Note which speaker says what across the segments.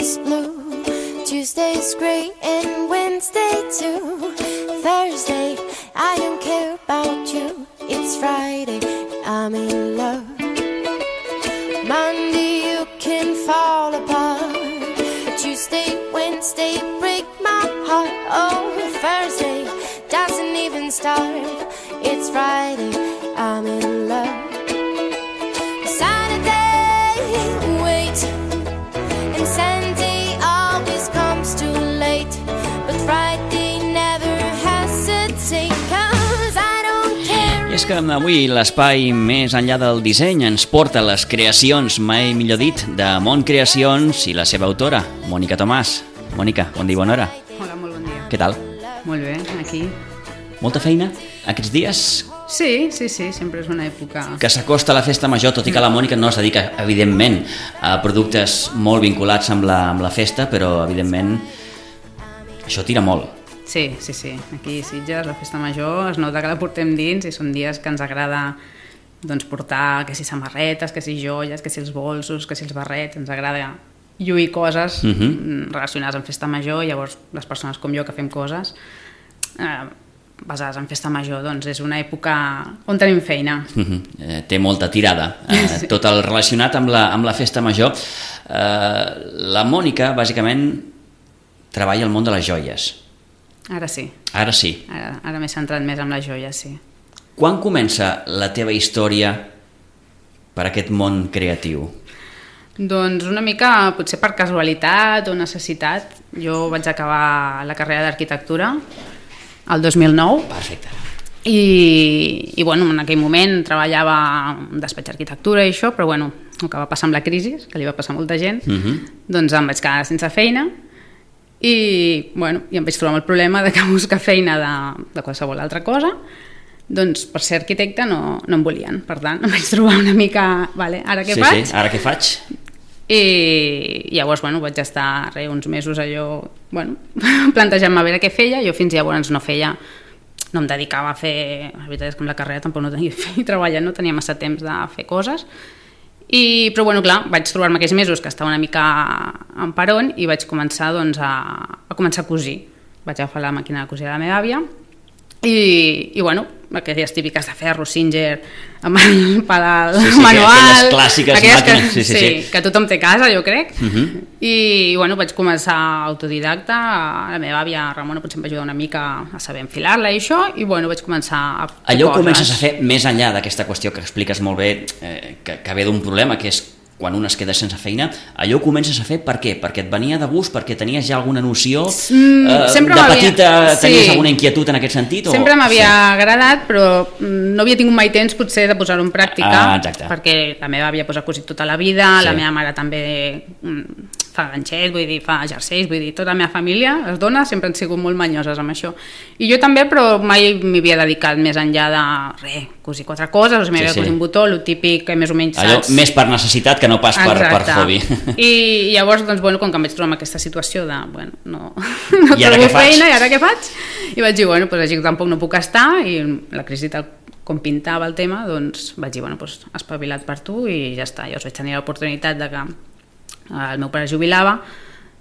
Speaker 1: is blue. Tuesday's great and Wednesday too. Thursday, I don't care about you. It's Friday, I'm in love. Monday, you can fall apart. Tuesday, Wednesday, break my heart. Oh, Thursday doesn't even start. It's Friday, I'm in love. Saturday, wait. And Sunday always comes too late. But Friday never hesitate. Cause I don't care.
Speaker 2: I és que avui l'espai més enllà del disseny ens porta a les creacions, mai millor dit, de Mont Creacions i la seva autora, Mònica Tomàs. Mònica, bon dia i bona hora.
Speaker 3: Hola, molt bon dia.
Speaker 2: Què tal?
Speaker 3: Molt bé, aquí.
Speaker 2: Molta feina aquests dies?
Speaker 3: Sí, sempre és una època...
Speaker 2: Que s'acosta a la festa major, tot i que la Mònica no es dedica, evidentment, a productes molt vinculats amb la festa, però, evidentment, això tira molt.
Speaker 3: Sí. Aquí a Sitges, la festa major, es nota que la portem dins i són dies que ens agrada doncs, portar, que si samarretes, que si joies, que si els bolsos, que si els barrets, ens agrada lluir coses relacionades amb festa major, i llavors les persones com jo que fem coses basades en festa major, doncs és una època on tenim feina.
Speaker 2: Té molta tirada,
Speaker 3: Sí.
Speaker 2: tot el relacionat amb la festa major. La Mònica, bàsicament, treballa al món de les joies.
Speaker 3: Ara sí.
Speaker 2: Ara sí.
Speaker 3: Ara m'he centrat més en les joies, sí.
Speaker 2: Quan comença la teva història per aquest món creatiu?
Speaker 3: Doncs una mica, potser per casualitat o necessitat. Jo vaig acabar la carrera d'arquitectura el 2009.
Speaker 2: Perfecte.
Speaker 3: I bueno, en aquell moment treballava en despatx d'arquitectura i això, però bueno, el que va passar amb la crisi, que li va passar a molta gent, doncs em vaig quedar sense feina i bueno, i em vaig trobar amb el problema de que buscar feina de qualsevol altra cosa, doncs per ser arquitecte no em volien. Per tant, em vaig trobar una mica, vale, ara què faig?
Speaker 2: Sí, ara què faig?
Speaker 3: I llavors bueno, vaig estar uns mesos allò plantejant-me a veure què feia. Jo fins llavors no em dedicava a fer, la veritat és que amb la carrera tampoc no tenia feina treballant, no tenia massa temps de fer coses, però bueno, clar, vaig trobar-me aquells mesos que estava una mica en peron i vaig començar doncs, a començar a cosir. Vaig agafar la màquina de cosir de la meva àvia i bueno, aquelles típiques de ferro, Singer, amb el pedal manual,
Speaker 2: aquelles clàssiques màquines, sí.
Speaker 3: Que tothom té a casa, jo crec. I bueno, vaig començar autodidacta. La meva àvia Ramona potser em va ajudar una mica a saber enfilar-la i això, i bueno, vaig començar a fer
Speaker 2: allò
Speaker 3: coses.
Speaker 2: Comences a fer més enllà d'aquesta qüestió que expliques molt bé, que ve d'un problema, que és quan un es queda sense feina. Allò ho comences a fer per què? Perquè et venia de gust, perquè tenies ja alguna noció, de petita tenies alguna inquietud en aquest sentit?
Speaker 3: Sempre m'havia agradat, però no havia tingut mai temps potser de posar-ho en pràctica, perquè la meva àvia ha cosit tota la vida, la meva mare també fa ganxets, vull dir, fa jerseis, vull dir, tota la meva família, les dones, sempre han sigut molt manyoses amb això. I jo també, però mai m'hi havia dedicat més enllà de cosir quatre coses, o sigui, m'havia cosir un botó, el típic que més o menys
Speaker 2: allò, més per necessitat que no pas per hobby.
Speaker 3: I llavors, doncs, bueno, com que em vaig trobar amb aquesta situació de, bueno, no trobo feina, i ara què faig? I vaig dir, bueno, doncs així tampoc no puc estar, i la crisi tal com pintava el tema, doncs vaig dir, bueno, doncs espavilat per tu i ja està. Llavors vaig tenir l'oportunitat de que el meu pare jubilava,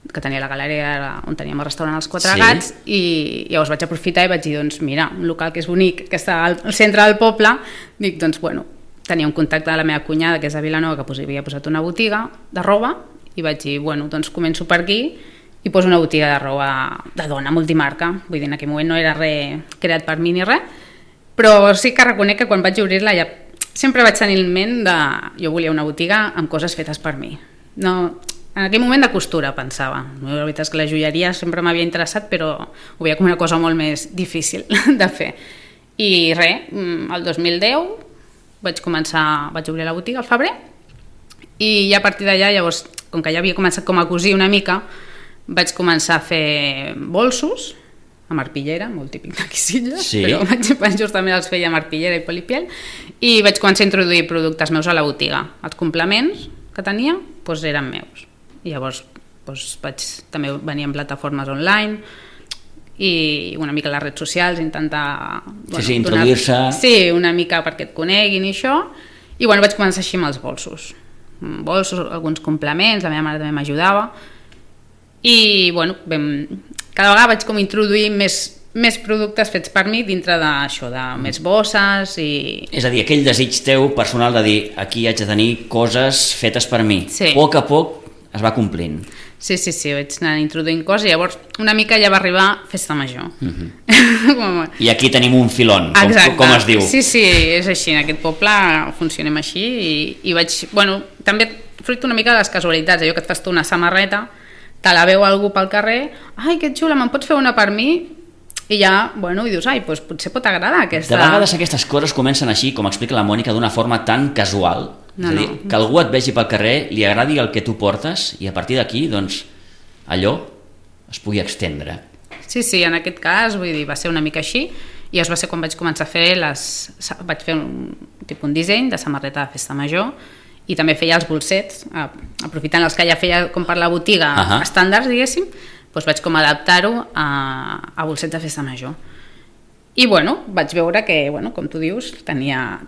Speaker 3: que tenia la galeria on teníem el restaurant Els Quatre Gats, i llavors vaig aprofitar i vaig dir, doncs mira, un local que és bonic, que està al centre del poble, dic, doncs bueno, tenia un contacte de la meva cunyada, que és de Vilanova, que havia posat una botiga de roba, i vaig dir, bueno, doncs començo per aquí i poso una botiga de roba de dona multimarca. Vull dir, en aquell moment no era res creat per mi ni res, però sí que reconec que quan vaig obrir-la ja sempre vaig tenir en ment de... Jo volia una botiga amb coses fetes per mi. No, en aquell moment de costura pensava. La veritat és que la joieria sempre m'havia interessat, però ho veia com una cosa molt més difícil de fer. I res, el 2010 vaig obrir la botiga al febrer, i ja a partir d'allà, llavors, com que ja havia començat com a cosir una mica, vaig començar a fer bolsos amb arpillera, molt típic d'aquí Sitges, però justament els feia amb arpillera i polipiel, i vaig començar a introduir productes meus a la botiga. Els complements que tenia doncs eren meus. I llavors també venia en plataformes online i una mica a les redes socials, intentar
Speaker 2: introduir-se
Speaker 3: una mica perquè et coneguin i això, i vaig començar així amb els bolsos, alguns complements, la meva mare també m'ajudava, I bueno, cada vegada vaig com introduir més productes fets per mi dintre d'això, de més bosses i...
Speaker 2: És a dir, aquell desig teu personal de dir aquí haig de tenir coses fetes per mi. Sí. A poc es va complint.
Speaker 3: Sí, vaig anar introduint coses i llavors una mica ja va arribar Festa Major.
Speaker 2: I aquí tenim un filon, com es diu.
Speaker 3: Sí, és així, en aquest poble funcionem així i vaig... Bueno, també fruit una mica de les casualitats, allò que et fas tu una samarreta, te la veu algú pel carrer, ai, que xula, me'n pots fer una per mi? I ja, bueno, i dius, ai, doncs potser pot agradar aquesta...
Speaker 2: De vegades aquestes coses comencen així, com explica la Mònica, d'una forma tan casual, és a dir, que algú et vegi pel carrer, li agradi el que tu portes i a partir d'aquí, doncs, allò es pugui extendre.
Speaker 3: Sí, en aquest cas, vull dir, va ser una mica així i llavors va ser quan vaig començar a fer vaig fer un disseny de samarreta de Festa Major i també feia els bolsets, aprofitant els que ja feia com per la botiga estàndards, diguéssim, doncs vaig com adaptar-ho a bolsets de Festa Major. I bueno, vaig veure que, com tu dius, tenia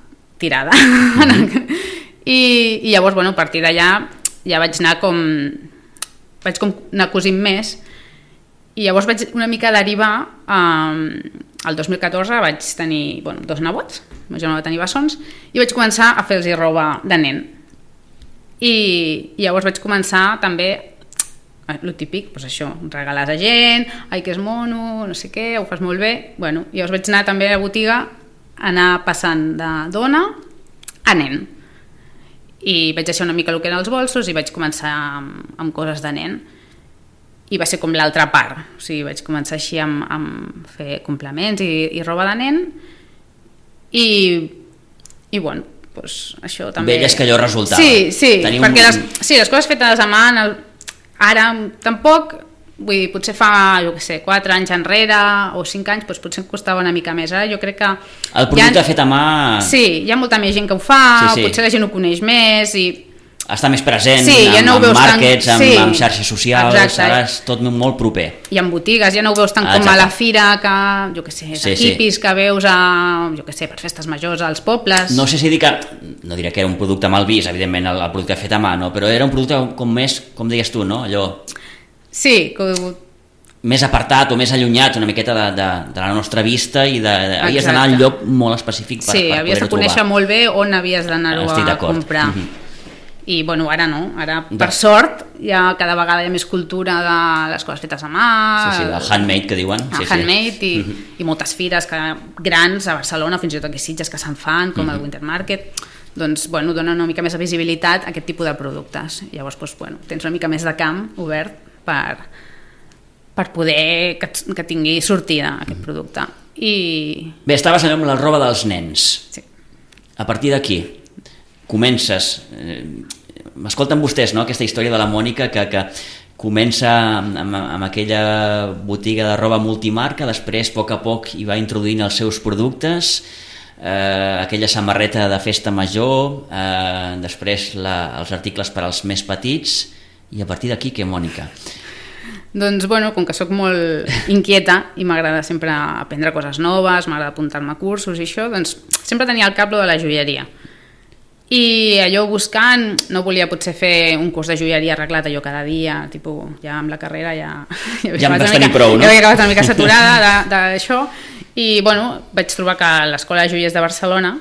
Speaker 3: tirada. I llavors, a partir d'allà ja vaig anar anar cosint més i llavors vaig una mica derivar el 2014 vaig tenir 2 nebots, ma germana va tenir bessons i vaig començar a fer-los roba de nen i llavors vaig començar també el típic, doncs això, regales a gent, ai que és mono, no sé què, ho fas molt bé, i llavors vaig anar també a la botiga anar passant de dona a nen i vaig deixar una mica el que eren els bolsos i vaig començar amb coses de nen i va ser com l'altra part, o sigui, vaig començar així amb fer complements i roba de nen i bueno, doncs això també...
Speaker 2: Veies que allò resultava.
Speaker 3: Sí, perquè les coses fetes a mà ara tampoc, vull dir, potser fa, 4 anys enrere o 5 anys, doncs potser em costava una mica més. Ara jo crec que...
Speaker 2: El producte fet a mà...
Speaker 3: Sí, hi ha molta més gent que ho fa, potser la gent ho coneix més i...
Speaker 2: Està més present amb màrquets, amb xarxes socials, ara és tot molt proper.
Speaker 3: I en botigues, ja no ho veus tant com a la fira, que, hippies que veus per festes majors als pobles.
Speaker 2: No sé si dir que, no diré que era un producte mal vist, evidentment, el producte fet a mà, no? Però era un producte com més, com deies tu, no? Allò...
Speaker 3: Sí,
Speaker 2: més apartat o més allunyat una miqueta de la nostra vista i havies d'anar al lloc molt específic per poder-ho trobar. Sí,
Speaker 3: havies de conèixer molt bé on havies d'anar-ho a comprar. I bueno, ara no, ara per sort cada vegada hi ha més cultura de les coses fetes a mà,
Speaker 2: el handmade que diuen,
Speaker 3: handmade i moltes fires grans a Barcelona, fins i tot aquí Sitges que se'n fan, com el Winter Market, doncs donen una mica més de visibilitat a aquest tipus de productes. Llavors tens una mica més de camp obert per poder que tingui sortida aquest producte.
Speaker 2: Bé, estaves allò amb la roba dels nens. A partir d'aquí comences, m'escolten vostès, no? Aquesta història de la Mònica que comença amb aquella botiga de roba multimarca, després a poc hi va introduint els seus productes, aquella samarreta de Festa Major, després els articles per als més petits, i a partir d'aquí què, Mònica?
Speaker 3: Doncs com que sóc molt inquieta i m'agrada sempre aprendre coses noves, m'agrada apuntar-me a cursos i això, doncs sempre tenia al cap lo de la joieria. I allò buscant, no volia potser fer un curs de joieria arreglat allò cada dia, tipus, ja amb la carrera ja
Speaker 2: em vas tenir prou, no?
Speaker 3: Ja havia acabat una mica saturada d'això i vaig trobar que a l'Escola de Joiers de Barcelona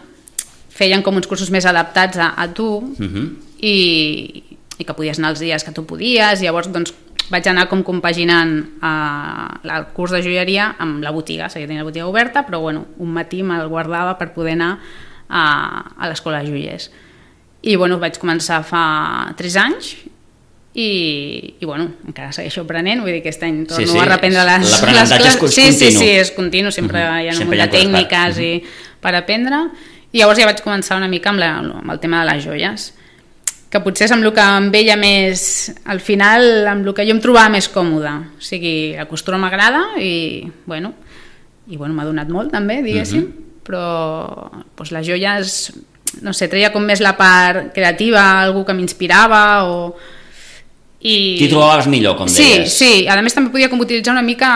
Speaker 3: feien com uns cursos més adaptats a tu i que podies anar els dies que tu podies, i llavors vaig anar com compaginant el curs de joieria amb la botiga, seguia tenint la botiga oberta, però un matí me'l guardava per poder anar a l'Escola de Joiers i vaig començar fa 3 anys i encara segueixo aprenent, vull dir que aquest any torno a reprendre les classes. Sí, és continu, sempre hi ha un munt de tècniques per aprendre, i llavors ja vaig començar una mica amb el tema de les joies, que potser és amb el que em veia més al final, amb el que jo em trobava més còmoda, o sigui, la costura m'agrada i m'ha donat molt també, diguéssim, però les joies, no sé, treia com més la part creativa, algú que m'inspirava
Speaker 2: T'hi trobaves millor, com deies.
Speaker 3: Sí, a més també podia com utilitzar una mica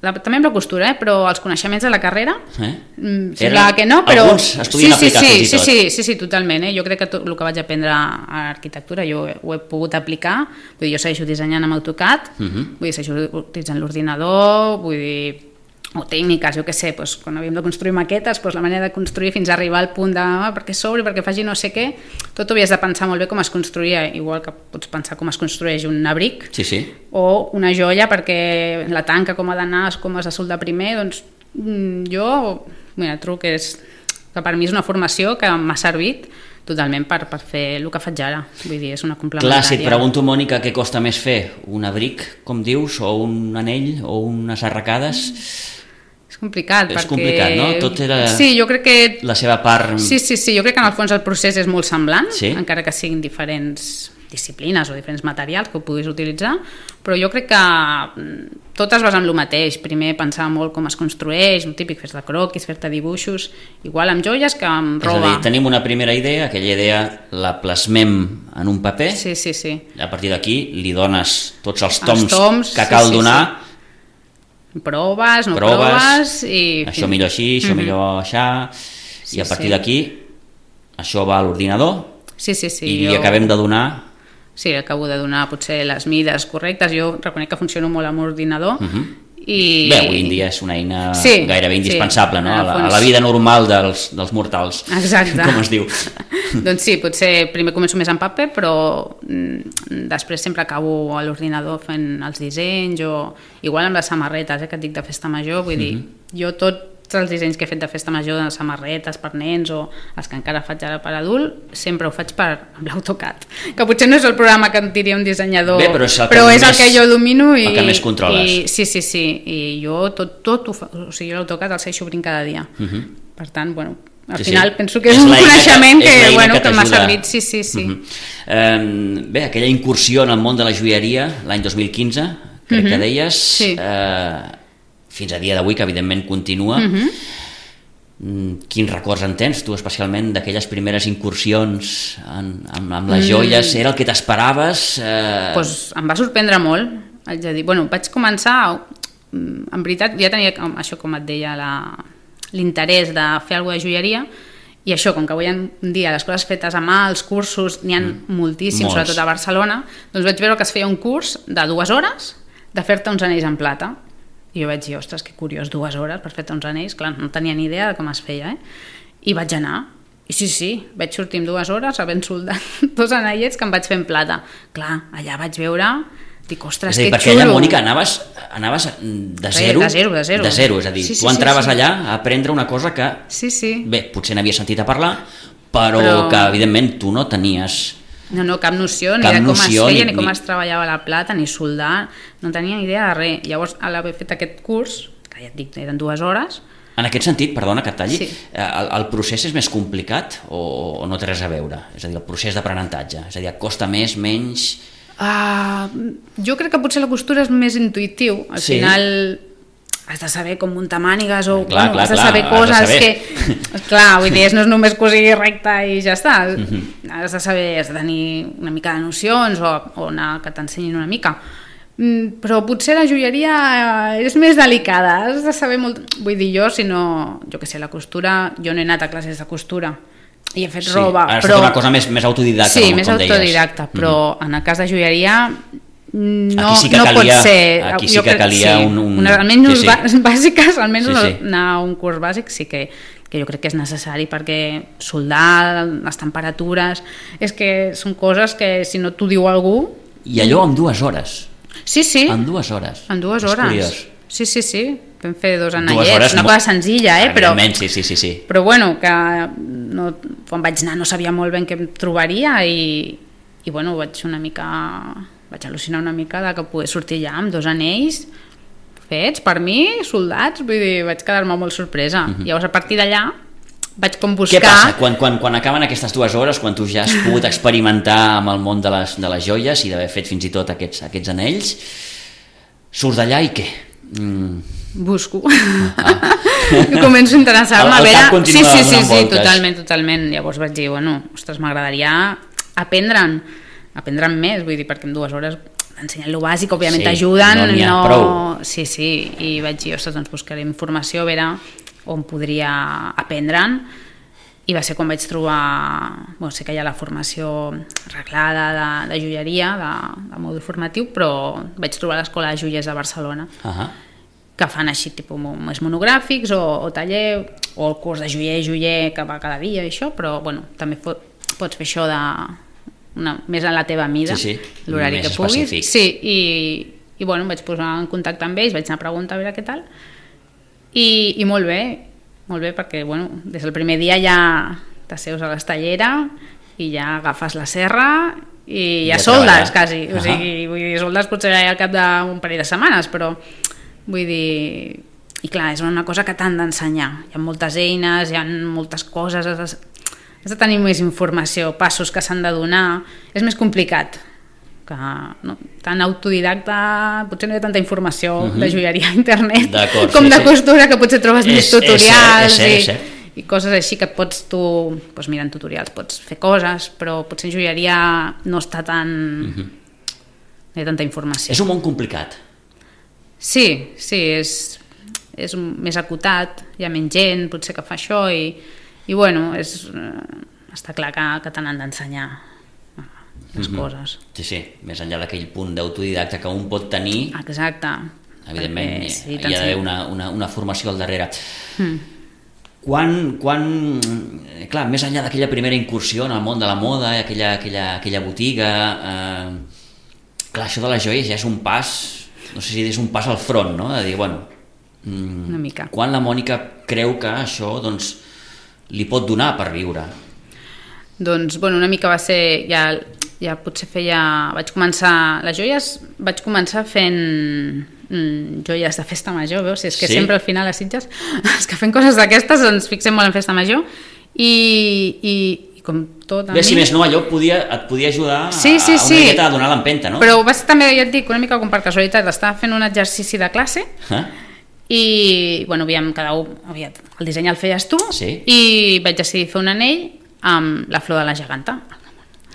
Speaker 3: també amb la costura, però els coneixements de la carrera
Speaker 2: sembla
Speaker 3: que no, però
Speaker 2: alguns estudien aplicar fins i tot.
Speaker 3: Sí, totalment, jo crec que tot el que vaig aprendre a arquitectura jo ho he pogut aplicar, vull dir, jo segueixo dissenyant amb AutoCAD, vull dir, segueixo utilitzant l'ordinador, vull dir, o tècniques, jo què sé, doncs, quan havíem de construir maquetes, doncs, la manera de construir fins a arribar al punt de perquè s'obri, perquè faci no sé què, tot ho havies de pensar molt bé com es construïa, igual que pots pensar com es construeix un abric o una joia perquè la tanca com ha d'anar, com has de soldar primer, doncs jo trobo que per mi és una formació que m'ha servit totalment per fer el que faig ara, vull dir, és una complementària.
Speaker 2: Clar, si et pregunto, Mònica, què costa més fer, un abric, com dius, o un anell, o unes arracades?
Speaker 3: És complicat,
Speaker 2: és complicat, no? Tot era
Speaker 3: jo crec que
Speaker 2: la seva part...
Speaker 3: Sí, jo crec que en el fons el procés és molt semblant, encara que siguin diferents disciplines o diferents materials que ho puguis utilitzar, però jo crec que tot es basa en el mateix. Primer pensar molt com es construeix, el típic, fer-te croquis, fer-te dibuixos, igual amb joies que amb roba.
Speaker 2: És a dir, tenim una primera idea, aquella idea la plasmem en un paper, a partir d'aquí li dones tots els toms que cal donar,
Speaker 3: proves, no proves i...
Speaker 2: això millor així, això millor aixà, i a partir d'aquí això va a l'ordinador i acabem de donar...
Speaker 3: Sí, acabo de donar potser les mides correctes, jo reconec que funciono molt amb l'ordinador i...
Speaker 2: Bé, avui en dia és una eina gairebé indispensable, no? A la vida normal dels mortals, com es diu.
Speaker 3: Doncs sí, potser primer començo més en paper, però després sempre acabo a l'ordinador fent els dissenys, o igual amb les samarretes que et dic de festa major, vull dir, jo tots els dissenys que he fet de festa major de samarretes per nens o els que encara faig ara per adult, sempre ho faig amb l'AutoCAD, que potser no és el programa que em diria un dissenyador, però és el que jo domino i
Speaker 2: el que més controles.
Speaker 3: Sí, i jo tot ho faig, o sigui, l'AutoCAD el segueixo obrint cada dia. Per tant, bueno, al final penso que és un coneixement que m'ha servit. Sí.
Speaker 2: Bé, aquella incursió en el món de la joieria l'any 2015, crec que deies, fins a dia d'avui, que evidentment continua. Quins records en tens tu especialment d'aquelles primeres incursions amb les joies? Era el que t'esperaves?
Speaker 3: Em va sorprendre molt, haig de dir. Vaig començar, en veritat ja tenia això, com et deia, l'interès de fer alguna de joieria, i això, com que avui en dia les coses fetes a mà, els cursos n'hi ha moltíssims, sobretot a Barcelona, doncs vaig veure que es feia un curs de 2 hores de fer-te uns anells en plata. I jo vaig dir, ostres, que curiós, 2 hores per fer-te uns anells, clar, no tenia ni idea de com es feia, i vaig anar, i sí, vaig sortir en 2 hores havent soldat 2 anellets que em vaig fer en plata. Clar, allà vaig veure, dic, ostres, que xulo.
Speaker 2: Perquè allà, Mònica, anaves de zero, és a dir, tu entraves allà a aprendre una cosa que, bé, potser n'havies sentit a parlar, però que, evidentment, tu no tenies...
Speaker 3: No, cap noció, ni de com es feia, ni com es treballava la plata, ni soldar, no tenia ni idea de res. Llavors, a l'haver fet aquest curs, que ja et dic, eren 2 hores...
Speaker 2: En aquest sentit, perdona que et talli, el procés és més complicat o no té res a veure? És a dir, el procés d'aprenentatge, és a dir, costa més, menys...
Speaker 3: Jo crec que potser la costura és més intuïtiu, al final... has de saber com muntar mànigues o has de saber coses que... Clar, vull dir, no és només cosir recte i ja està. Has de saber, has de tenir una mica de nocions o anar que t'ensenyin una mica. Però potser la joieria és més delicada, has de saber molt... Vull dir, jo què sé, la costura, jo no he anat a classes de costura i he fet roba,
Speaker 2: però... Ha estat una cosa més autodidacta,
Speaker 3: com deies. Sí, més autodidacta, però en el cas de joieria... No pot ser.
Speaker 2: Aquí sí que calia
Speaker 3: almenys bàsiques, almenys anar a un curs bàsic sí que jo crec que és necessari, perquè soldar, les temperatures, és que són coses que si no t'ho diu algú...
Speaker 2: I allò en 2 hores?
Speaker 3: Sí.
Speaker 2: En 2 hores?
Speaker 3: En 2 hores. Sí. Vam fer 2 anellets, una cosa senzilla, però...
Speaker 2: Sí.
Speaker 3: Però bueno, que quan vaig anar no sabia molt ben què em trobaria i vaig al·lucinar una mica de que poder sortir allà amb 2 anells fets per mi, soldats, vull dir, vaig quedar-me molt sorpresa. Llavors, a partir d'allà, vaig com buscar...
Speaker 2: Què passa? Quan acaben aquestes 2 hores, quan tu ja has pogut experimentar amb el món de les joies i d'haver fet fins i tot aquests anells, surts d'allà i què?
Speaker 3: Busco. Començo a interessar-me a veure... Sí, totalment. Llavors vaig dir, ostres, m'agradaria aprendre'n més, vull dir, perquè en 2 hores t'ensenyen lo bàsic, òbviament t'ajuden.
Speaker 2: No n'hi ha prou.
Speaker 3: Sí, i vaig dir, ostres, doncs buscaré informació, a veure on podria aprendre'n, i va ser quan vaig trobar, sé que hi ha la formació reglada de joieria, de mòdul formatiu, però vaig trobar l'Escola de Joiers de Barcelona, que fan així tipus més monogràfics o taller, o el curs de joier que va cada dia i això, però també pots fer això més a la teva mida, l'horari que puguis.
Speaker 2: Específic.
Speaker 3: Sí, i em vaig posar en contacte amb ells, vaig anar a preguntar a veure què tal, i molt bé, perquè des del primer dia ja t'asseus a l'estallera i ja agafes la serra i ja soldes quasi, o sigui, vull dir, soldes potser al cap d'un parell de setmanes, però vull dir, i clar, és una cosa que t'han d'ensenyar, hi ha moltes eines, hi ha moltes coses, has de tenir més informació, passos que s'han de donar, és més complicat que tan autodidacta, potser no hi ha tanta informació de joieria a internet com de costura, que potser trobes més tutorials i coses així que pots tu, mirant tutorials pots fer coses, però potser en joieria no està tan no hi ha tanta informació.
Speaker 2: És un món complicat.
Speaker 3: Sí, és més acotat, hi ha menys gent potser que fa això i està clar que te n'han d'ensenyar les coses.
Speaker 2: Sí, més enllà d'aquell punt d'autodidacta que un pot tenir.
Speaker 3: Exacte.
Speaker 2: Evidentment, hi ha d'haver una formació al darrere. Clar, més enllà d'aquella primera incursió en el món de la moda, aquella botiga, clar, això de les joies ja és un pas, no sé si és un pas al front, no? De dir,
Speaker 3: una mica.
Speaker 2: Quan la Mònica creu que això li pot donar per viure?
Speaker 3: Doncs, una mica va ser, ja potser vaig començar les joies, vaig començar fent joies de festa major, veus? És que sempre al final a Sitges, els que fem coses d'aquestes ens fixem molt en festa major i com tot a mi...
Speaker 2: Si més no, allò et podia ajudar a una miqueta a donar l'empenta, no?
Speaker 3: Però va ser també, ja et dic, una mica com per casualitat, estava fent un exercici de classe i, cada un, el disseny el feies tu i vaig decidir fer un anell amb la flor de la geganta.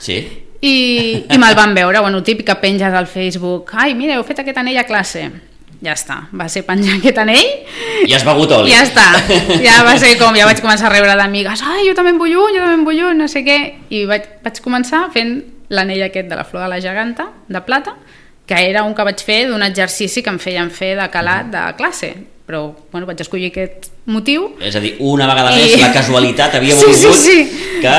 Speaker 2: Sí.
Speaker 3: I me'l van veure, típic que penges al Facebook, ai, mira, heu fet aquest anell a classe. Ja està, va ser penjar aquest anell
Speaker 2: i has begut oli.
Speaker 3: Ja està, ja va ser com, ja vaig començar a rebre d'amigues, ai, jo també en vull un, no sé què, i vaig començar fent l'anell aquest de la flor de la geganta, de plata, que era un que vaig fer d'un exercici que em feien fer de calat de classe, però vaig escollir aquest motiu.
Speaker 2: És a dir, una vegada més la casualitat havia volgut que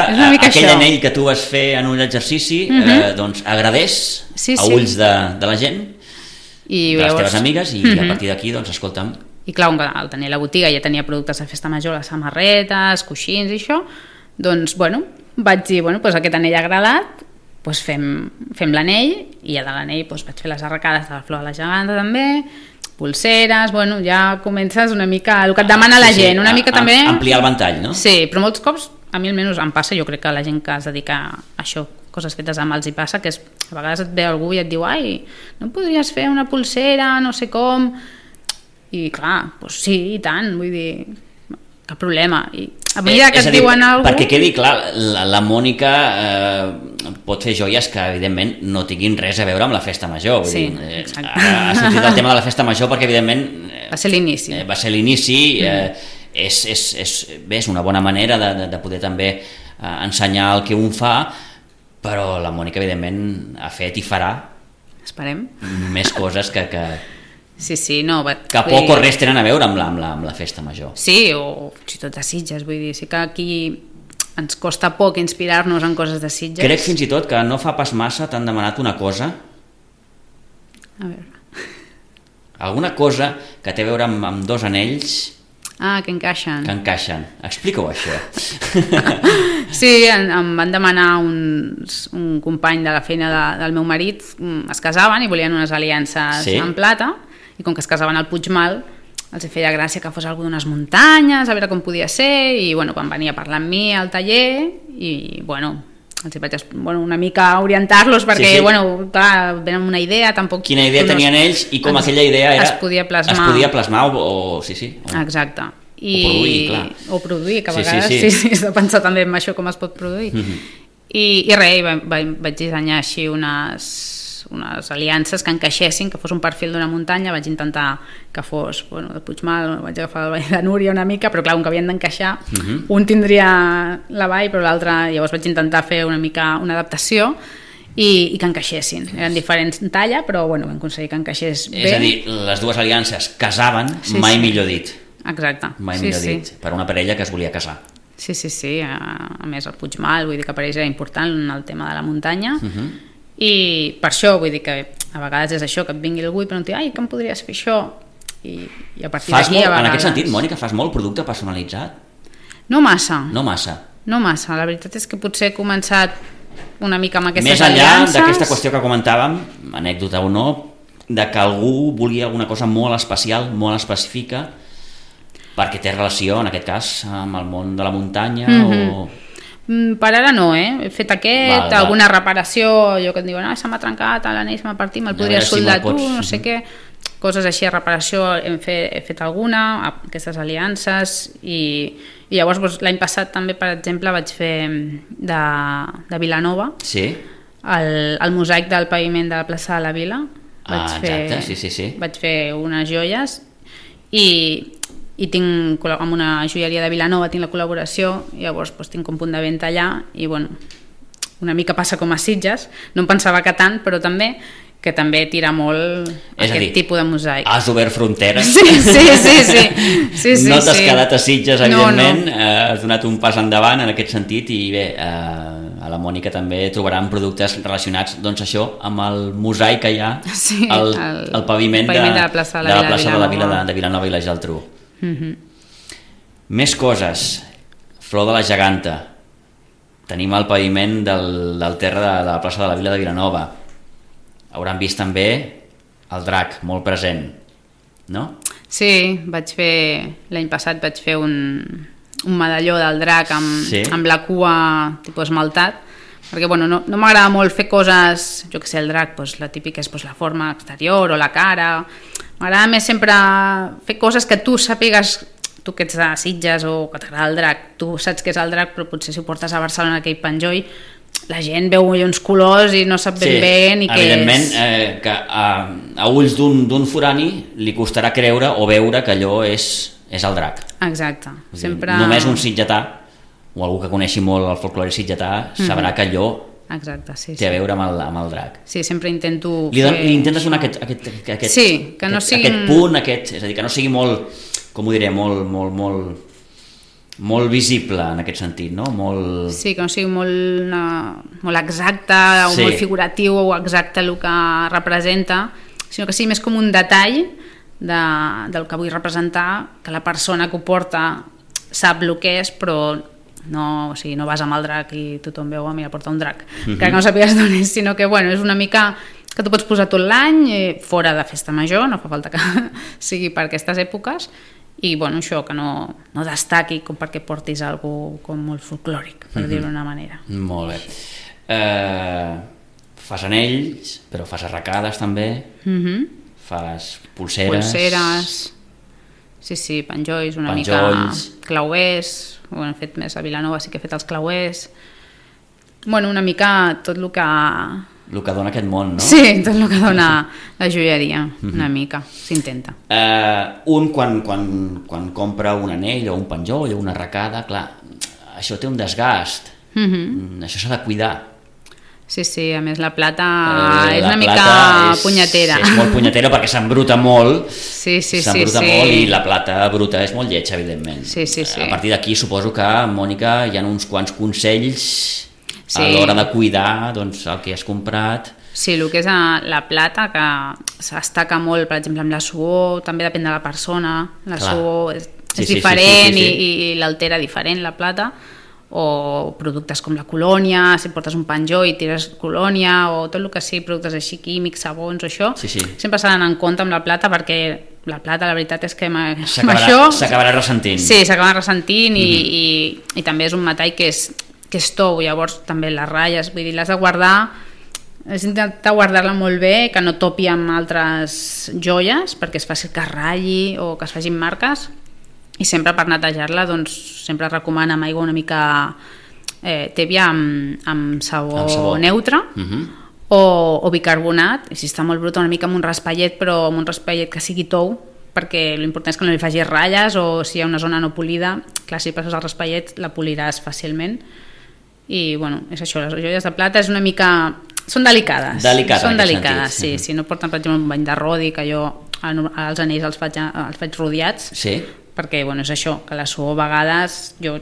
Speaker 2: aquell anell que tu vas fer en un exercici doncs agradés a ulls de la gent, de les teves amigues, i a partir d'aquí, doncs, escolta'm.
Speaker 3: I clar, al tenir la botiga ja tenia productes de festa major, les samarretes, coixins i això, doncs, vaig dir, aquest anell ha agradat, fem l'anell, i ja de l'anell vaig fer les arracades de la flor de la geganta també, pulseres, ja comences una mica el que et demana la gent, una mica també...
Speaker 2: Ampliar el ventall, no?
Speaker 3: Sí, però molts cops, a mi almenys em passa, jo crec que la gent que es dedica a això, coses fetes amb els hi passa, que a vegades et ve algú i et diu, ai, no podries fer una pulsera, no sé com... I clar, sí, i tant, vull dir... Cap problema. I a mesura que et diuen alguna cosa...
Speaker 2: Perquè quedi clar, la Mònica pot fer joies que, evidentment, no tinguin res a veure amb la festa major.
Speaker 3: Sí, exacte.
Speaker 2: Ha sortit el tema de la festa major perquè, evidentment...
Speaker 3: Va ser l'inici.
Speaker 2: És una bona manera de poder també ensenyar el que un fa, però la Mònica, evidentment, ha fet i farà...
Speaker 3: Esperem.
Speaker 2: ...més coses que
Speaker 3: que
Speaker 2: poc o res tenen a veure amb la festa major.
Speaker 3: Sí, o si tot de Sitges, vull dir, sí que aquí ens costa poc inspirar-nos en coses de Sitges.
Speaker 2: Crec fins i tot que no fa pas massa t'han demanat una cosa.
Speaker 3: A veure.
Speaker 2: Alguna cosa que té a veure amb dos anells.
Speaker 3: Que encaixen.
Speaker 2: Explica-ho, això.
Speaker 3: Sí, em van demanar un company de la feina del meu marit, es casaven i volien unes aliances en plata, i com que es casaven al Puigmal, els feia gràcia que fos algú d'unes muntanyes, a veure com podia ser, i van venir a parlar amb mi al taller, i els vaig una mica orientar-los perquè, clar, venen una idea, tampoc...
Speaker 2: Quina idea tenien ells i com aquella idea
Speaker 3: es podia plasmar
Speaker 2: o
Speaker 3: exacte.
Speaker 2: O
Speaker 3: produir, que a vegades sí, has de pensar també en això, com es pot produir. I res, vaig dissenyar així unes unes aliances que encaixessin, que fos un perfil d'una muntanya. Vaig intentar que fos de Puigmal, vaig agafar el Vall de Núria una mica, però clar, com que havien d'encaixar, un tindria la vall però l'altre, llavors vaig intentar fer una mica una adaptació i que encaixessin. Eren diferents en talla, però vam aconseguir que encaixés bé.
Speaker 2: És a dir, les dues aliances casaven, mai millor dit.
Speaker 3: Exacte.
Speaker 2: Mai millor dit, per una parella que es volia casar.
Speaker 3: Sí. A més el Puigmal, vull dir que per ells era important el tema de la muntanya, i per això vull dir que a vegades és això, que et vingui algú i pregunti, ai, que em podries fer això? I a partir d'aquí a vegades...
Speaker 2: En aquest sentit, Mònica, fas molt producte personalitzat?
Speaker 3: No massa.
Speaker 2: No massa.
Speaker 3: La veritat és que potser he començat una mica amb aquestes aliances.
Speaker 2: Més enllà d'aquesta qüestió que comentàvem, anècdota o no, de que algú volia alguna cosa molt especial, molt específica, perquè té relació, en aquest cas, amb el món de la muntanya o...
Speaker 3: Per ara no, He fet alguna reparació, allò que et diuen, se m'ha trencat, l'anell se m'ha partit, me'l podries soldar tu, no sé què, coses així de reparació, he fet alguna, aquestes aliances, i llavors l'any passat també, per exemple, vaig fer de Vilanova, el mosaic del paviment de la plaça de la Vila, vaig fer unes joies, i tinc amb una joieria de Vilanova tinc la col·laboració, i llavors tinc un punt de venda allà, i una mica passa com a Sitges, no em pensava que tant, però també que també tira molt aquest tipus de mosaic.
Speaker 2: Has obert fronteres.
Speaker 3: Sí.
Speaker 2: No t'has quedat a Sitges, evidentment, has donat un pas endavant en aquest sentit, i bé, a la Mònica també trobaran productes relacionats, doncs això, amb el mosaic que hi ha al paviment de la plaça de la Vila de Vilanova i la Geltrú. Més coses. Flor de la Geganta, tenim el paviment del terra de la plaça de la Vila de Vilanova. Hauran vist també el drac molt present, no?
Speaker 3: Sí, l'any passat vaig fer un medalló del drac amb la cua tipus esmaltat, perquè no m'agrada molt fer coses, jo que sé, el drac, la típica és la forma exterior o la cara. M'agrada més sempre fer coses que tu sàpigues, tu que ets de Sitges o que t'agrada el drac, tu saps què és el drac, però potser si ho portes a Barcelona, aquell penjoll, la gent veu uns colors i no sap ben bé ni què és.
Speaker 2: Evidentment, que a ulls d'un forani li costarà creure o veure que allò és el drac.
Speaker 3: Exacte.
Speaker 2: Només un sitgetà, o algú que coneixi molt el folklore sitgetà, sabrà que allò té a veure amb el drac.
Speaker 3: Sí, sempre intento...
Speaker 2: Li intentes donar aquest punt, és a dir, que no sigui molt, com ho diré, molt visible en aquest sentit, no?
Speaker 3: Sí, que no sigui molt exacte o molt figuratiu o exacte el que representa, sinó que sigui més com un detall del que vull representar, que la persona que ho porta sap el que és, però no vas amb el drac i tothom veu, mira, porta un drac, que no sàpigues d'on és, sinó que és una mica que tu pots posar tot l'any fora de festa major, no fa falta que sigui per aquestes èpoques, i això que no destaqui com perquè portis alguna com molt folclòric, per dir-ho d'una manera.
Speaker 2: Molt bé. Fas anells, però fas arracades també, fas pulseres,
Speaker 3: sí, penjolls, una mica clauers, ho hem fet més a Vilanova, sí que he fet els clauers, una mica tot el que
Speaker 2: dona aquest món, no?
Speaker 3: Sí, tot el que dona la joieria, una mica, s'intenta.
Speaker 2: Quan compra un anell o un penjoll o una arracada, clar, això té un desgast, això s'ha de cuidar.
Speaker 3: Sí, a més la plata és una mica punyetera.
Speaker 2: És molt punyetera perquè s'embruta molt,
Speaker 3: molt
Speaker 2: i la plata bruta és molt lletja, evidentment. A partir d'aquí suposo que, Mònica, hi ha uns quants consells a l'hora de cuidar el que has comprat.
Speaker 3: Sí, el que és la plata, que s'estaca molt, per exemple, amb la suor, també depèn de la persona, la suor és diferent i l'altera diferent, la plata, o productes com la colònia, si portes un penjoll i tires colònia, o tot el que sigui productes així químics, sabons o això, sempre s'ha d'anar en compte amb la plata, perquè la plata la veritat és que
Speaker 2: s'acabarà ressentint.
Speaker 3: Sí, s'acabarà ressentint i també és un metall que és tou, llavors també les ratlles, vull dir, l'has de guardar, has d'intentar guardar-la molt bé, que no topi amb altres joies perquè és fàcil que es ratlli o que es facin marques, i sempre per netejar-la sempre recomana amb aigua una mica tèbia amb sabó neutre, o bicarbonat, i si està molt brut una mica amb un raspallet, però amb un raspallet que sigui tou, perquè l'important és que no li facis ratlles, o si hi ha una zona no polida, clar, si passes el raspallet la poliràs fàcilment. I bueno, és això, les joies de plata és una mica... Són delicades. Són delicades, sí. Si no porten, per exemple, un bany de rodi, que jo als anells els faig rodiats,
Speaker 2: sí.
Speaker 3: Perquè bueno, és això, que la suor a vegades jo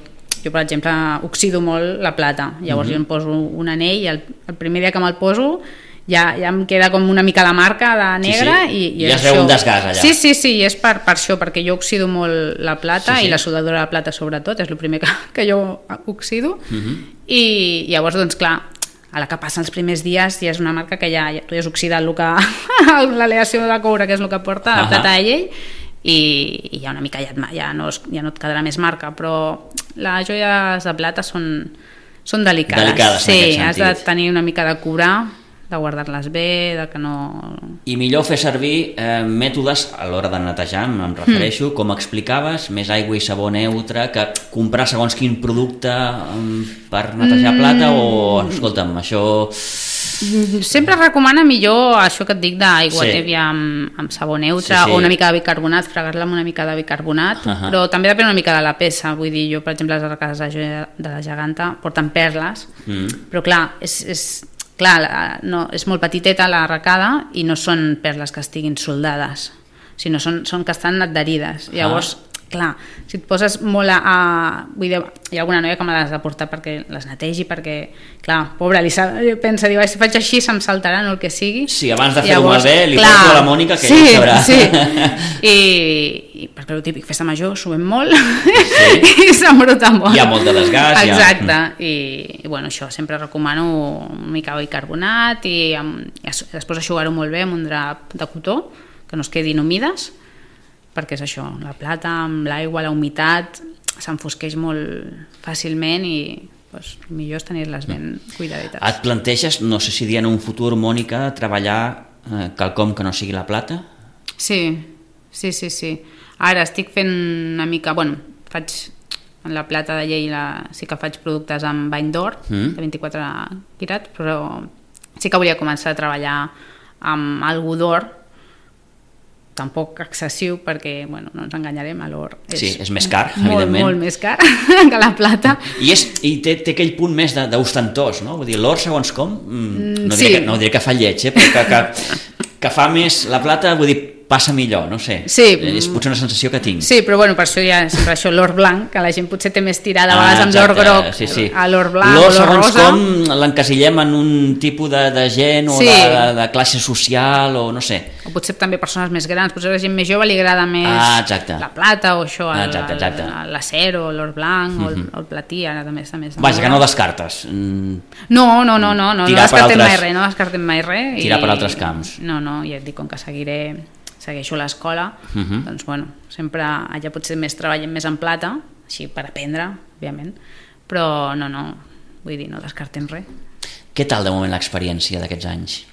Speaker 3: per exemple oxido molt la plata, llavors jo em poso un anell i el primer dia que me'l poso ja em queda com una mica la marca de negra,
Speaker 2: sí.
Speaker 3: I
Speaker 2: ja es veu un desgast allà.
Speaker 3: Sí, i és per això, perquè jo oxido molt la plata, sí. I la soldadura de plata sobretot, és el primer que jo oxido, i llavors doncs clar, a la que passen els primers dies ja és una marca que ja tu ja has oxidat l'aleació de coure, que és el que porta la plata de llei, i ja una mica ja no et quedarà més marca, però les joies de plata són delicades, sí, has de tenir una mica de curar, de guardar-les bé, de que no...
Speaker 2: I millor fer servir mètodes a l'hora de netejar, em refereixo, com explicaves, més aigua i sabó neutre, que comprar segons quin producte per netejar plata, o, escolta'm, això...
Speaker 3: Sempre recomana millor això que et dic d'aigua tèbia amb sabó neutre, o una mica de bicarbonat, fregar-la amb una mica de bicarbonat, però també depèn una mica de la peça, vull dir, jo per exemple les arcades de la geganta porten perles, però clar, és molt petiteta la arracada i no són perles que estiguin soldades, sinó són que estan adherides. Llavors, clar, si et poses molt vull dir, hi ha alguna noia que me les ha de portar perquè les netegi, perquè, clar, pobra, pensa, diu, si faig així se'm saltarà, no el que sigui.
Speaker 2: Sí, abans de fer-ho malbé, li porto a la Mònica, que ella sabrà.
Speaker 3: Sí, i perquè el típic, festa major, subem molt i s'embruta molt.
Speaker 2: Hi ha molt de desgast.
Speaker 3: Exacte, i bueno, això, sempre recomano una mica de bicarbonat i després eixugar-ho molt bé amb un drap de cotó, que no es quedin humides, perquè és això, la plata amb l'aigua, la humitat, s'enfosqueix molt fàcilment i doncs, millor és tenir-les ben cuidadites.
Speaker 2: Et planteges, no sé si dir en un futur, Mònica, treballar quelcom que no sigui la plata?
Speaker 3: Sí. Ara estic fent una mica, bueno, faig en la plata de llei, sí que faig productes amb bany d'or, de 24 quirats, però sí que volia començar a treballar amb algú d'or, tampoc excessiu, perquè bueno, no ens enganyarem, l'or
Speaker 2: és més car, evidentment.
Speaker 3: Molt més car que la plata.
Speaker 2: I té aquell punt més d'ostentós, no? Vull dir, l'or segons com, no diré que fa lleig, però que fa més la plata, vull dir, passa millor, no sé, és potser una sensació que tinc.
Speaker 3: Sí, però bueno, per això hi ha sempre això, l'or blanc, que la gent potser té més tirada a vegades amb l'or groc, a l'or blanc o l'or rosa.
Speaker 2: Segons com l'encasillem en un tipus de gent o de classe social o no sé.
Speaker 3: O potser també persones més grans, potser a la gent més jove li agrada més la plata o això, l'acer o l'or blanc o el platí, ara també està més...
Speaker 2: Vaja, que no descartes.
Speaker 3: No descartem mai res.
Speaker 2: Tirar per altres camps.
Speaker 3: No, ja et dic, com que segueixo l'escola, doncs bueno, sempre allà potser treballem més en plata, així per aprendre, òbviament, però no, vull dir, no descartem res.
Speaker 2: Què tal de moment l'experiència d'aquests anys?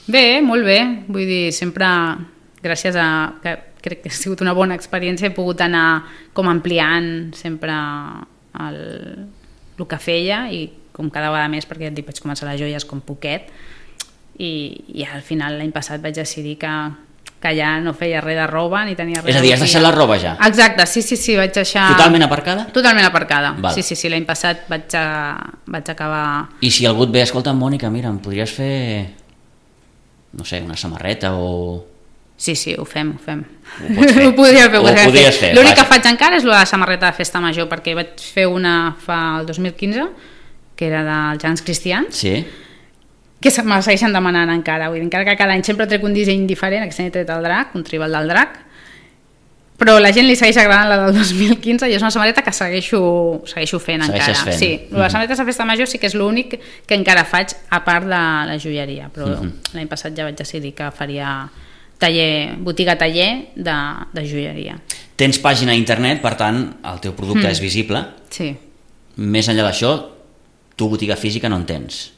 Speaker 3: Bé, molt bé, vull dir, sempre gràcies a que crec que ha sigut una bona experiència, he pogut anar com ampliant sempre el que feia i com cada vegada més, perquè ja et dic, vaig començar les joies com poquet i al final l'any passat vaig decidir que ja no feia res de roba ni tenia res.
Speaker 2: És a dir, has deixat la roba ja?
Speaker 3: Exacte, sí, vaig deixar...
Speaker 2: Totalment aparcada?
Speaker 3: Totalment aparcada, val. Sí, l'any passat vaig acabar...
Speaker 2: I si algú et ve, escolta, Mònica, mira, em podries fer, no sé, una samarreta o...
Speaker 3: Sí, ho fem. Ho podries fer. L'únic que faig encara és la samarreta de festa major, perquè vaig fer una fa el 2015, que era dels Gegants Cristians, que me la segueixen demanant encara, vull dir, encara que cada any sempre trec un disseny diferent, aquest any he tret el drac, un tribal del drac, però la gent li segueix agradant la del 2015 i és una samarreta que segueixo fent encara. Sí, les samarretes de festa major sí que és l'únic que encara faig a part de la joieria, però l'any passat ja vaig decidir que faria botiga-taller de joieria.
Speaker 2: Tens pàgina a internet, per tant el teu producte és visible.
Speaker 3: Sí.
Speaker 2: Més enllà d'això, tu botiga física no en tens?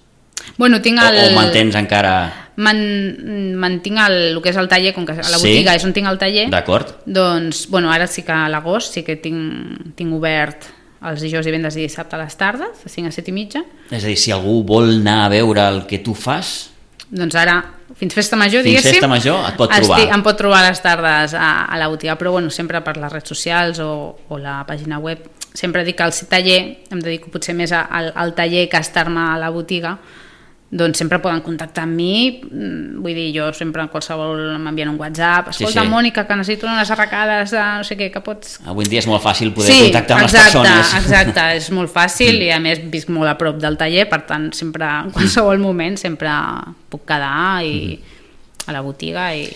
Speaker 3: Bueno, tinc
Speaker 2: o mantens encara...
Speaker 3: Mantinc el que és el taller, com que a la botiga és on tinc el taller.
Speaker 2: D'acord.
Speaker 3: Doncs, bueno, ara sí que a l'agost sí que tinc obert els dijous, divendres i dissabte a les tardes, de 5 a 7 i mitja.
Speaker 2: És a dir, si algú vol anar a veure el que tu fas,
Speaker 3: doncs ara, fins festa major, diguéssim...
Speaker 2: Fins festa major et pot trobar.
Speaker 3: Em pot trobar a les tardes a la botiga, però bueno, sempre per les redes socials o la pàgina web. Sempre dic que al taller, em dedico potser més al taller que a estar-me a la botiga, doncs sempre poden contactar amb mi, vull dir, jo sempre en qualsevol m'envien un WhatsApp, escolta, sí. Mònica, que necessito unes arracades de no sé què, que pots...
Speaker 2: Avui en dia és molt fàcil poder contactar amb les persones.
Speaker 3: Exacte, és molt fàcil i a més visc molt a prop del taller, per tant sempre, en qualsevol moment sempre puc quedar a la botiga i...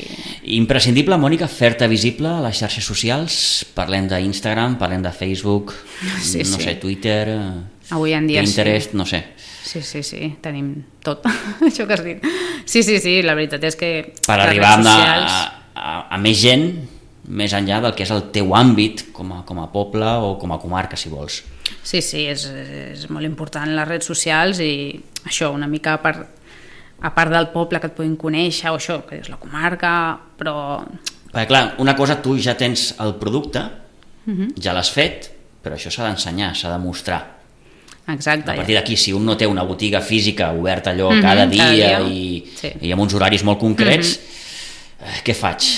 Speaker 2: Imprescindible, Mònica, fer-te visible a les xarxes socials, parlem d'Instagram, parlem de Facebook, no sé, Twitter,
Speaker 3: avui en dia
Speaker 2: Pinterest, no sé.
Speaker 3: Sí, tenim tot, això que has dit. Sí, la veritat és que...
Speaker 2: Per arribar a més gent, més enllà del que és el teu àmbit com a poble o com a comarca, si vols.
Speaker 3: Sí, és molt important les redes socials i això, una mica a part del poble que et puguin conèixer o això, que és la comarca, però...
Speaker 2: Perquè clar, una cosa, tu ja tens el producte, ja l'has fet, però això s'ha d'ensenyar, s'ha de mostrar.
Speaker 3: Exacte.
Speaker 2: A partir d'aquí, si un no té una botiga física oberta allò cada dia i amb uns horaris molt concrets, què faig?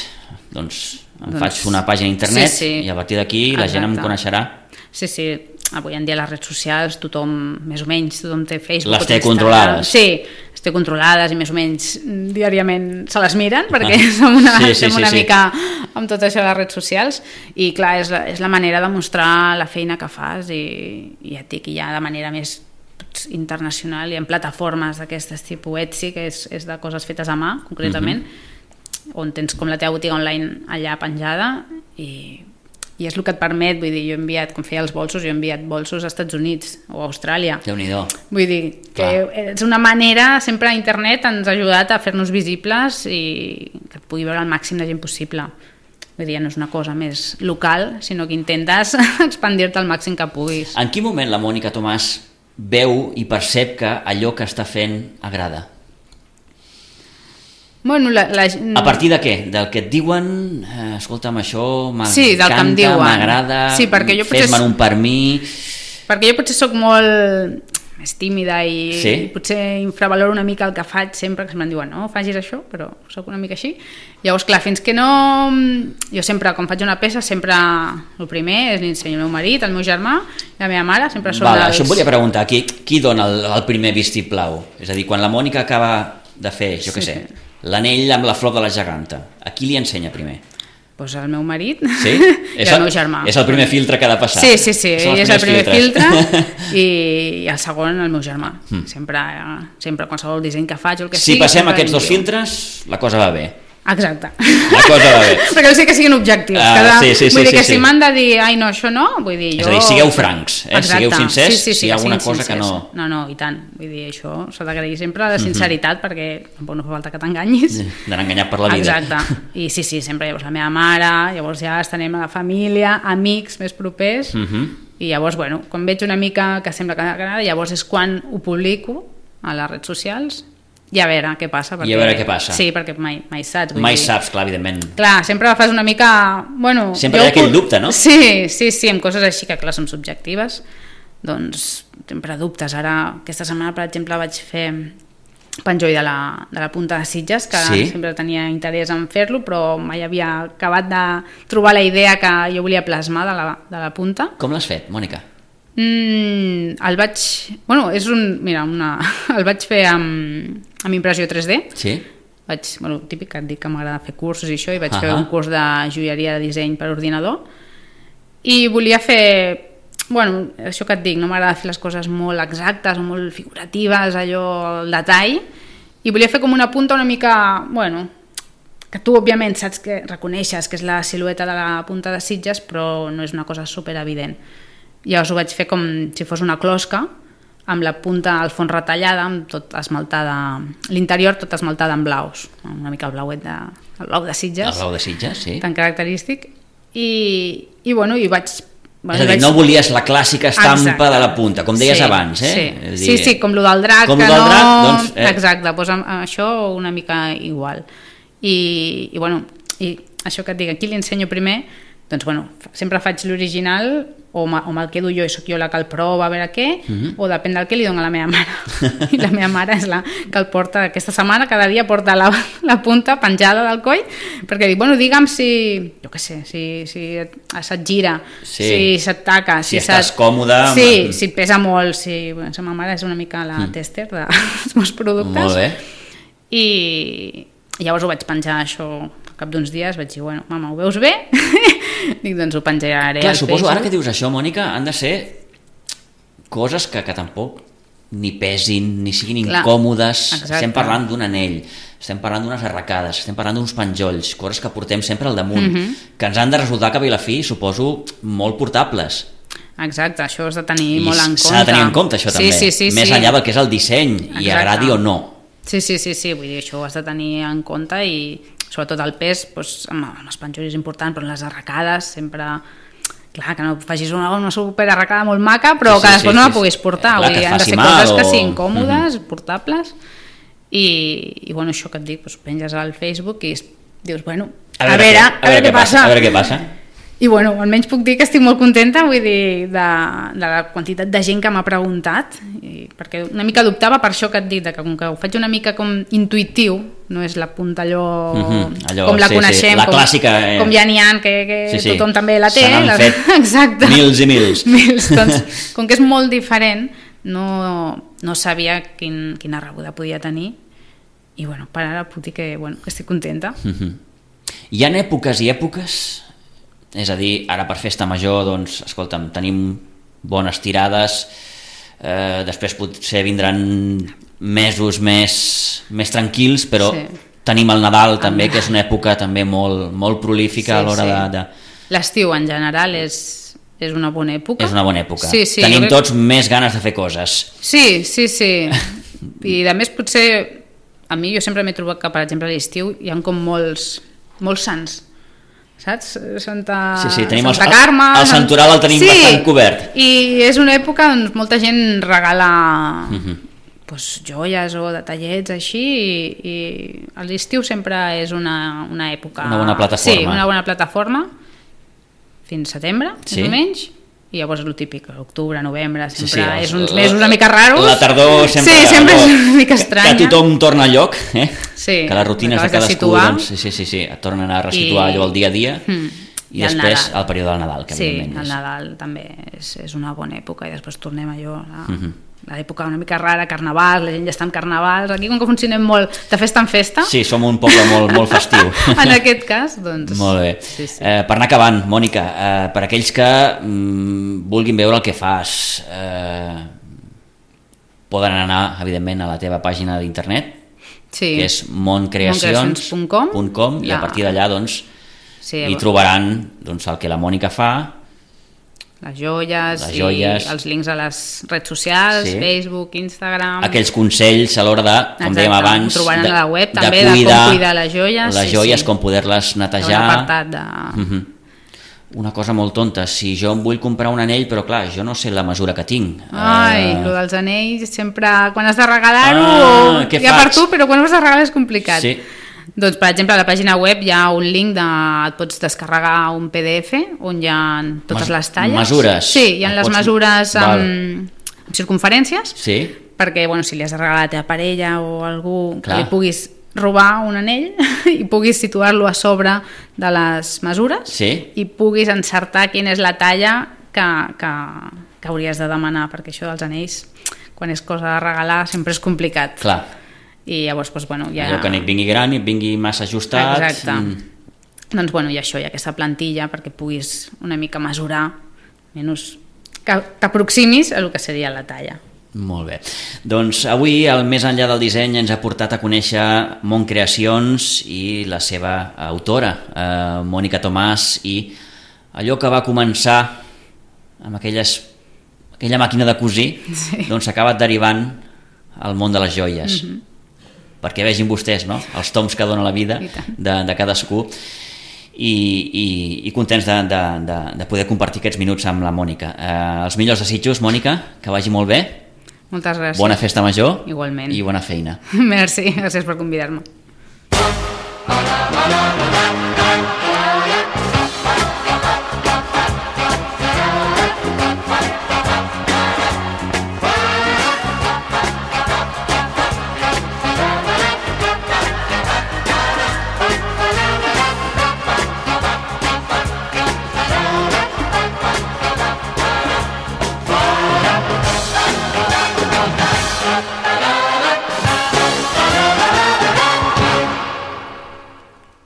Speaker 2: Doncs faig una pàgina a internet i a partir d'aquí la gent em coneixerà.
Speaker 3: Sí, avui en dia les redes socials tothom, més o menys, tothom té Facebook.
Speaker 2: Les té controlades.
Speaker 3: Sí, les té controlades i més o menys diàriament se les miren perquè som una mica amb tot això de les redes socials i clar, és la manera de mostrar la feina que fas i ja et dic, ja de manera més internacional i en plataformes d'aquestes tipus Etsy, que és de coses fetes a mà, concretament, on tens com la teva botiga online allà penjada i és el que et permet, vull dir, jo he enviat, com feia els bolsos, jo he enviat bolsos als Estats Units o a Austràlia.
Speaker 2: Déu-n'hi-do.
Speaker 3: Vull dir, que és una manera, sempre internet ens ha ajudat a fer-nos visibles i que et pugui veure el màxim de gent possible. Vull dir, no és una cosa més local, sinó que intentes expandir-te al màxim que puguis.
Speaker 2: En quin moment la Mònica Tomàs veu i percep que allò que està fent agrada?
Speaker 3: Bueno,
Speaker 2: a partir de què? Del que et diuen, escolta'm, això m'encanta, m'agrada, fes-me un per mi...
Speaker 3: Perquè jo potser soc molt més tímida i potser infravaloro una mica el que faig sempre, que em diuen, no, facis això, però soc una mica així. Llavors, clar, fins que no... Jo sempre, quan faig una peça, sempre el primer és l'ensenyo al meu marit, al meu germà i a la meva mare, sempre són dels...
Speaker 2: Això em volia preguntar, qui dona el primer vistiplau? És a dir, quan la Mònica acaba de fer, jo què sé, l'anell amb la flor de la geganta, a qui li ensenya primer?
Speaker 3: Doncs al meu marit
Speaker 2: i
Speaker 3: al meu germà.
Speaker 2: És el primer filtre que ha de passar.
Speaker 3: Sí, ell és el primer filtre i el segon el meu germà. Sempre qualsevol disseny que faig o el que sigui...
Speaker 2: Si passem aquests dos filtres, la cosa va bé.
Speaker 3: Exacte.
Speaker 2: La cosa va bé.
Speaker 3: Perquè vull dir que siguin objectius. Vull dir que si m'han de dir, ai no, això no, vull dir jo...
Speaker 2: És a dir, sigueu francs, sigueu sincers, si hi ha alguna cosa que no...
Speaker 3: No, i tant. Vull dir, això s'ha d'agrair sempre la sinceritat, perquè tampoc no fa falta que t'enganyis.
Speaker 2: D'anar enganyat per la vida.
Speaker 3: Exacte. I sí, sempre llavors la meva mare, llavors ja estenem a la família, amics més propers, i llavors, bueno, quan veig una mica que sembla que agrada, llavors és quan ho publico a les redes socials i a veure què passa.
Speaker 2: I a veure què passa.
Speaker 3: Sí, perquè mai saps.
Speaker 2: Mai saps, clar, evidentment.
Speaker 3: Clar, sempre fas una mica... Bueno,
Speaker 2: sempre hi ha aquell dubte, no?
Speaker 3: Sí, amb coses així que, clar, són subjectives, doncs sempre dubtes. Ara, aquesta setmana, per exemple, vaig fer penjoll de la punta de Sitges, que sempre tenia interès en fer-lo, però mai havia acabat de trobar la idea que jo volia plasmar de la punta.
Speaker 2: Com l'has fet, Mònica?
Speaker 3: El vaig... Bueno, és un... Mira, el vaig fer amb impressió 3D.
Speaker 2: Sí.
Speaker 3: Típic que et dic que m'agrada fer cursos i això, i vaig fer un curs de joieria de disseny per ordinador. I volia fer... Bueno, això que et dic, no m'agrada fer les coses molt exactes o molt figuratives, allò, el detall. I volia fer com una punta una mica... Bueno, que tu, òbviament, saps que reconeixes que és la silueta de la punta de Sitges, però no és una cosa super evident. Llavors ho vaig fer com si fos una closca, amb la punta al fons retallada, amb tot esmaltada, l'interior tot esmaltada en blaus, una mica el blau de Sitges. El
Speaker 2: blau de Sitges, sí.
Speaker 3: Tan característic. I bueno, i vaig...
Speaker 2: És a dir, no volies la clàssica estampa de la punta, com deies abans, eh?
Speaker 3: Sí, com lo del drac,
Speaker 2: com
Speaker 3: que
Speaker 2: no...
Speaker 3: Doncs, exacte, doncs això una mica igual. I bueno, i això que et dic, aquí li ensenyo primer, doncs bueno, sempre faig l'original o me'l quedo jo i sóc jo la que el prova a veure què, o depèn del que li dono a la meva mare. I la meva mare és la que el porta aquesta setmana, cada dia porta la punta penjada del coll, perquè dic, bueno, digue'm si, jo què sé, si se't gira, si se't taca,
Speaker 2: si estàs còmode...
Speaker 3: Sí, si pesa molt, si... Bueno, la meva mare és una mica la tester dels meus productes.
Speaker 2: Molt bé.
Speaker 3: I llavors ho vaig penjar això al cap d'uns dies, vaig dir, bueno, mama, ho veus bé? Dic, doncs ho penjaré.
Speaker 2: Clar, suposo, ara que dius això, Mònica, han de ser coses que tampoc ni pesin, ni siguin incòmodes. Exacte. Estem parlant d'un anell, estem parlant d'unes arracades, estem parlant d'uns penjolls, coses que portem sempre al damunt, que ens han de resultar, cap i la fi, suposo, molt portables.
Speaker 3: Exacte, això has de tenir molt en compte.
Speaker 2: S'ha de tenir en compte, això també.
Speaker 3: Sí,
Speaker 2: més enllà del que és el disseny, i agradi o no.
Speaker 3: Sí, vull dir, això ho has de tenir en compte i sobretot el pes, doncs, amb els penjolls és important, però en les arracades sempre... Clar, que no facis una superarracada molt maca, però que després no la puguis portar.
Speaker 2: Clar,
Speaker 3: vull dir, han de ser coses que siguin còmodes, portables, i bueno, això que et dic, doncs, penges al Facebook i dius, bueno, a veure què passa.
Speaker 2: A veure què passa.
Speaker 3: I bueno, almenys puc dir que estic molt contenta, vull dir, de la quantitat de gent que m'ha preguntat, perquè una mica dubtava per això que et dic, que com que ho faig una mica com intuïtiu, no és la punta allò com la coneixem,
Speaker 2: la clàssica,
Speaker 3: com ja n'hi ha, que tothom també la té.
Speaker 2: Se n'han fet
Speaker 3: exacte.
Speaker 2: Mils i mils.
Speaker 3: Doncs, com que és molt diferent, no sabia quina rebuda podia tenir, i bueno, per ara puc dir que estic contenta.
Speaker 2: Hi ha èpoques i èpoques. És a dir, ara per festa major, doncs, escolta'm, tenim bones tirades, després potser vindran mesos més tranquils, però tenim el Nadal també, que és una època també molt prolífica a l'hora de...
Speaker 3: L'estiu en general és una bona època.
Speaker 2: És una bona època.
Speaker 3: Tenim
Speaker 2: tots més ganes de fer coses.
Speaker 3: Sí. I a més potser, a mi jo sempre m'he trobat que, per exemple, a l'estiu hi ha com molts sants, saps? Santa Carme,
Speaker 2: el santoral el tenim bastant cobert,
Speaker 3: i és una època on molta gent regala joies o detallets així, i a l'estiu sempre és una època,
Speaker 2: una bona plataforma,
Speaker 3: una bona plataforma fins setembre, més o menys. I llavors és el típic, octubre, novembre, sempre és uns mesos una mica raros.
Speaker 2: La tardor sempre
Speaker 3: és una mica estranya.
Speaker 2: Que tothom torna al lloc,
Speaker 3: que
Speaker 2: les rutines de cadascú et tornen a resituar allò el dia a dia, i després el període del Nadal. Que
Speaker 3: el Nadal també és una bona època, i després tornem a allò, l'època una mica rara, carnavals, la gent ja està en carnavals, aquí com que funcionem molt de festa en festa.
Speaker 2: Sí, som un poble molt festiu.
Speaker 3: En aquest cas, doncs...
Speaker 2: Molt bé. Per anar acabant, Mònica, per aquells que vulguin veure el que fas, poden anar, evidentment, a la teva pàgina d'internet, que és moncreacions.com, i a partir d'allà, doncs, hi trobaran el que la Mònica fa,
Speaker 3: les joies i els links a les redes socials, Facebook, Instagram...
Speaker 2: Aquells consells a l'hora de, com dèiem abans,
Speaker 3: ho trobaran a la web també, de com cuidar les joies.
Speaker 2: Com poder-les netejar...
Speaker 3: Un apartat de...
Speaker 2: Una cosa molt tonta, si jo em vull comprar un anell, però clar, jo no sé la mesura que tinc.
Speaker 3: Lo dels anells, sempre, quan has de regalar-ho, ja per tu, però quan ho has de regalar és complicat. Sí. Doncs, per exemple, a la pàgina web hi ha un link et pots descarregar un PDF on hi ha totes les talles.
Speaker 2: Mesures.
Speaker 3: Sí, hi ha les mesures amb circunferències, perquè si li has de regalar a la teva parella o algú que li puguis robar un anell i puguis situar-lo a sobre de les mesures i puguis encertar quina és la talla que hauries de demanar, perquè això dels anells, quan és cosa de regalar, sempre és complicat.
Speaker 2: Clar.
Speaker 3: I llavors, ja...
Speaker 2: Allò que ni et vingui gran ni et vingui massa ajustat.
Speaker 3: Exacte. Doncs, hi ha això, hi ha aquesta plantilla perquè puguis una mica mesurar, menys que t'aproximis a el que seria la talla.
Speaker 2: Molt bé. Doncs avui, el Més enllà del disseny, ens ha portat a conèixer Moncreacions i la seva autora, Mònica Tomàs, i allò que va començar amb aquella màquina de cosir, doncs s'ha acabat derivant al món de les joies. Perquè vegin vostès, no?, els toms que dona la vida de cadascú, i contents de poder compartir aquests minuts amb la Mònica. Els millors desitjos, Mònica, que vagi molt bé.
Speaker 3: Moltes gràcies.
Speaker 2: Bona festa major.
Speaker 3: Igualment.
Speaker 2: I bona feina.
Speaker 3: Merci, gràcies per convidar-me.